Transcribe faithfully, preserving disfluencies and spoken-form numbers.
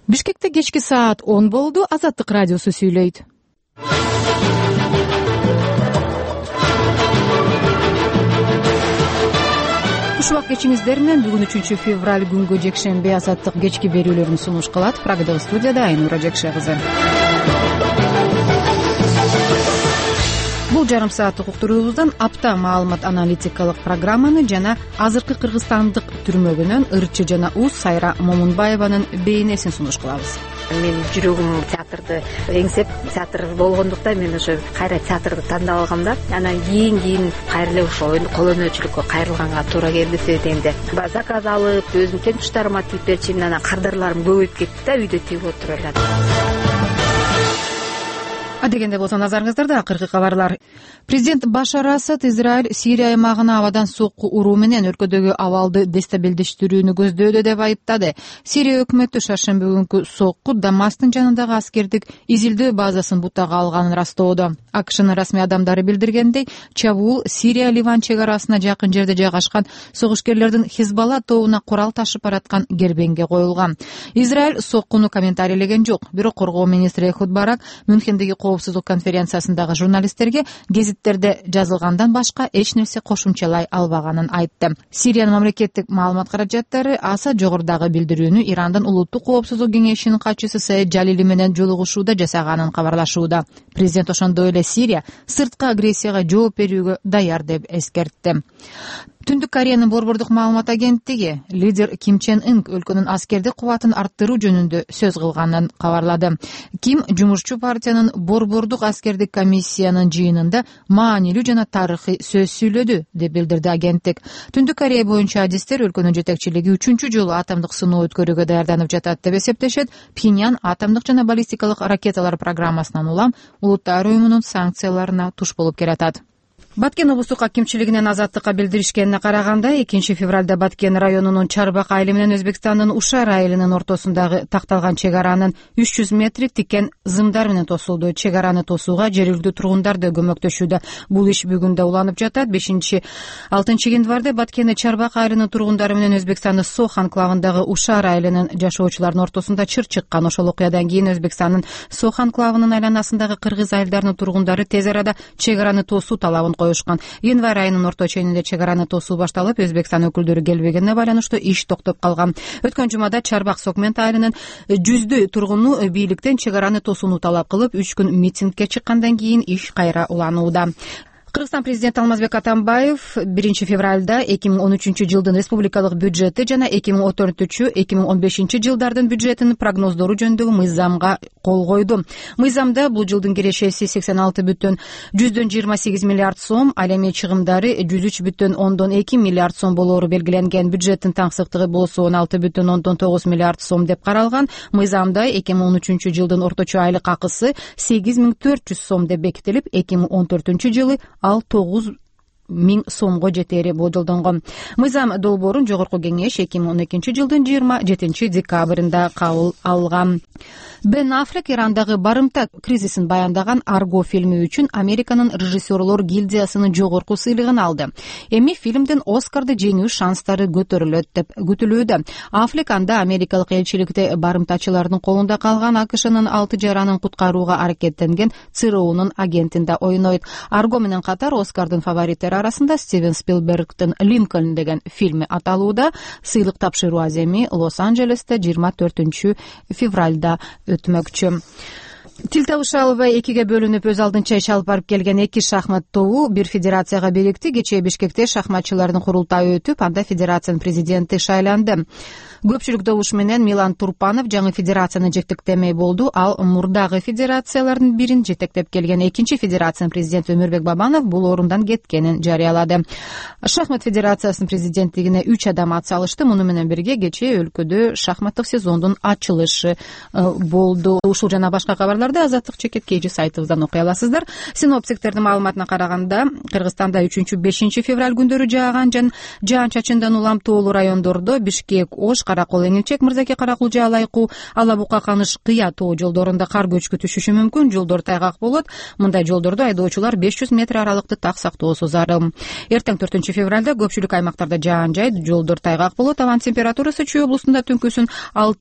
Бишкекте кечки саат он болду. Азаттык радиосу сүйлөйт. Куш убак кечиңиздер менен бүгүн үчүнчү февраль күнгө жекшемби Азаттык кечки берүүлөрүн сунуш кылат. Программада студияда Айнура Жекше кызы. Бул жарым сааттык уктуруубуздан апта маалымат аналитикалык программаны жана азыркы кыргызстандык түрмөгүнөн ырчы жана уз Сайра Момунбаеванын бейнесин сунуш кылабыз. Мен жүрөгүм театрды эңсеп, театр болгондуктан мен ошо кайра театрды тандап алгам да. Анан кийин кийин кайра эле ошо кол өнөрчүлүккө кайрылганга туура келди дегенде. Заказ алып, өзүмдүн темпуштарыма тигип берчимин, анан кардарларым көбөйүп кетти да, үйдө тигип отура элем. Адегенде болсо назарыңыздарда акыркы кабарлар. Президент Башар Асад Израиль Сирия аймагына абадан сокку уруу менен өлкөдөгү абалды дестабилдештирүүнү көздөдө деп айыптады. Сирия өкмөтү шаршемби күнкү сокку Дамастын жанындагы аскердик изилдөө базасын бутага алганын растоодо. АКШнын расмий адамдары билдиргендей, чабуул Сирия Ливан чек арасына жакын жерде жайгашкан согушкерлердин Хизбалла тобуна курал ташып бараткан кербеңге коюлган. Израиль соккуну комментарийлеген жок, бирок коргоо министри Эхуд Барак Мюнхендеги коопсуздук конференциясындагы журналисттерге гезиттерде жазылгандан башка эч нерсе кошумчалай албаганын айтты. Сириянын мамлекеттик маалымат каражаттары Асад жогорудагы билдирүүнү Ирандын улуттук коопсуздук кеңешинин катчысы Саид Жалили менен жолугушууда жасаганын кабарлашууда. Президент ошондой эле Сирия сырткы агрессияга жооп берүүгө даяр деп эскертти. Түндүк Кореянын борбордук маалымат агенттиги лидер Ким Чен Ын өлкөнүн аскердик кубатын арттыруу жөнүндө сөз кылганын кабарлады. Ким жумушчу партиянын борбордук аскердик комиссиянын жыйынында маанилүү жана тарыхый сөз сүйлөдү деп билдирди агенттик. Түндүк Корея боюнча адистер өлкөнүн жетекчилиги үчүнчү жолу атомдук сыноо өткөрүүгө даярданып жатат деп эсептешет. Пхеньян атомдук жана баллистикалык ракеталар программасынан улам улуттар уюмунун санкцияларына туш болуп келатат. Баткен облустук акимчилигинен Азаттыкка билдиришкенине караганда, экинчи февралда Баткен районунун Чарбак айылы менен Өзбекстандын Ушар айылынын ортосундагы такталган чек аранын үч жүз метри тикен зымдар менен тосулду. Чек араны тосууга жергиликтүү тургундар да көмөктөшүүдө. Бул иш бүгүн да уланып жатат. бешинчи алтынчы январда Баткен Чарбак айылынын тургундары менен Өзбекстандын Сох анклавындагы Ушар айылынын жашоочуларынын ортосунда чыр чыккан. Ошол окуядан кийин Өзбекстандын Сох анклавынын айланасындагы кыргыз айылдарынын тургундары тез арада чек араны тосуу талабын коюшкан. Январь айынын орто ченинде чек араны тосуу башталып, Өзбекстан өкүлдөрү келбегенине байланыштуу иш токтоп калган. Өткөн жумада Чарбак Сокмент айылынын жүздөй тургуну бийликтен чек араны тосууну талап кылып, үч күн митингге чыккандан кийин иш кайра уланууда. Кыргызстан президенти Алмазбек Атамбаев биринчи февралда эки миң он үчүнчү жылдын республикалык бюджети жана эки миң он төртүнчү эки миң он бешинчи жылдардын бюджетинин прогноздору жөнүндөгү мыйзамга кол койду. Мыйзамда бул жылдын кирешеси сексен алты бүтүн жүздөн жыйырма сегиз миллиард сом, ал эми чыгымдары жүз үч бүтүн ондон эки миллиард сом болоору белгиленген. Бюджеттин таңсыктыгы болсо он алты бүтүн ондон тогуз миллиард сом деп каралган. Мыйзамда эки миң он үчүнчү жылдын орточо айлык акысы сегиз миң төрт жүз сом деп бекитилип, эки миң он төртүнчү жылы ал тогуз миң сомго жетери болжолдонгон. Мыйзам долбоорун жогорку кеңеш эки миң он экинчи жылдын жыйырма жетинчи декабрында кабыл алган. Бен Аффлек Ирандагы барымта кризисин баяндаган Арго фильми үчүн Американын режиссерлор гильдиясынын жогорку сыйлыгын алды. Эми фильмдин Оскарды жеңүү шанстары көтөрүлөт деп күтүлүүдө. Аффлек анда америкалык элчиликте барымтачылардын колунда калган АКШнын алты жаранын куткарууга аракеттенген ЦРУнун агентинде ойнойт. Арго менен катар Оскардын фавориттери арасында Стивен Спилбергдин Линкольн деген фильми аталууда. Сыйлык тапшыруу аземи Лос-Анджелесте жыйырма төртүнчү февралда өтмөкчү. Тил табыша албай экиге бөлүнүп өз алдынча иш алып барып келген эки шахмат тобу бир федерацияга бирикти. Кечээ Бишкекте шахматчылардын курултайы өтүп, анда федерациянын президенти шайланды. Көпчүлүк добуш менен Милан Турпанов жаңы федерацияны жетектемей болду. Ал мурдагы федерациялардын бирин жетектеп келген экинчи федерациянын президенти Өмүрбек Бабанов бул орундан кеткенин жарыялады. Шахмат федерациясынын президенттигине үч адам ат салышты. Муну менен бирге кечээ өлкөдө шахматтык сезондун ачылышы болду. Ушул жана башка кабарларды Азаттык чекет кейжи сайтыбыздан окуй аласыздар. Синоптиктердин маалыматына караганда, Кыргызстанда үчүнчү бешинчи февраль күндөрү жааган жан жаан-чачындан улам тоолуу райондордо Бишкек, Ош, Каракол, Эңилчек, Мырзаке, Каракулжа, Алайкуу, Ала Бука, Каныш, Кыя тоо жолдорунда кар көчкү түшүшү мүмкүн. Жолдор тайгак болот. Мындай жолдордо айдоочулар беш жүз метр аралыкты так сактоосу зарыл. Эртең төртүнчү февралда көпчүлүк аймактарда жаан жай, жолдор тайгак болот. Абанын температурасы Чүй облустунда түнкүсүн алты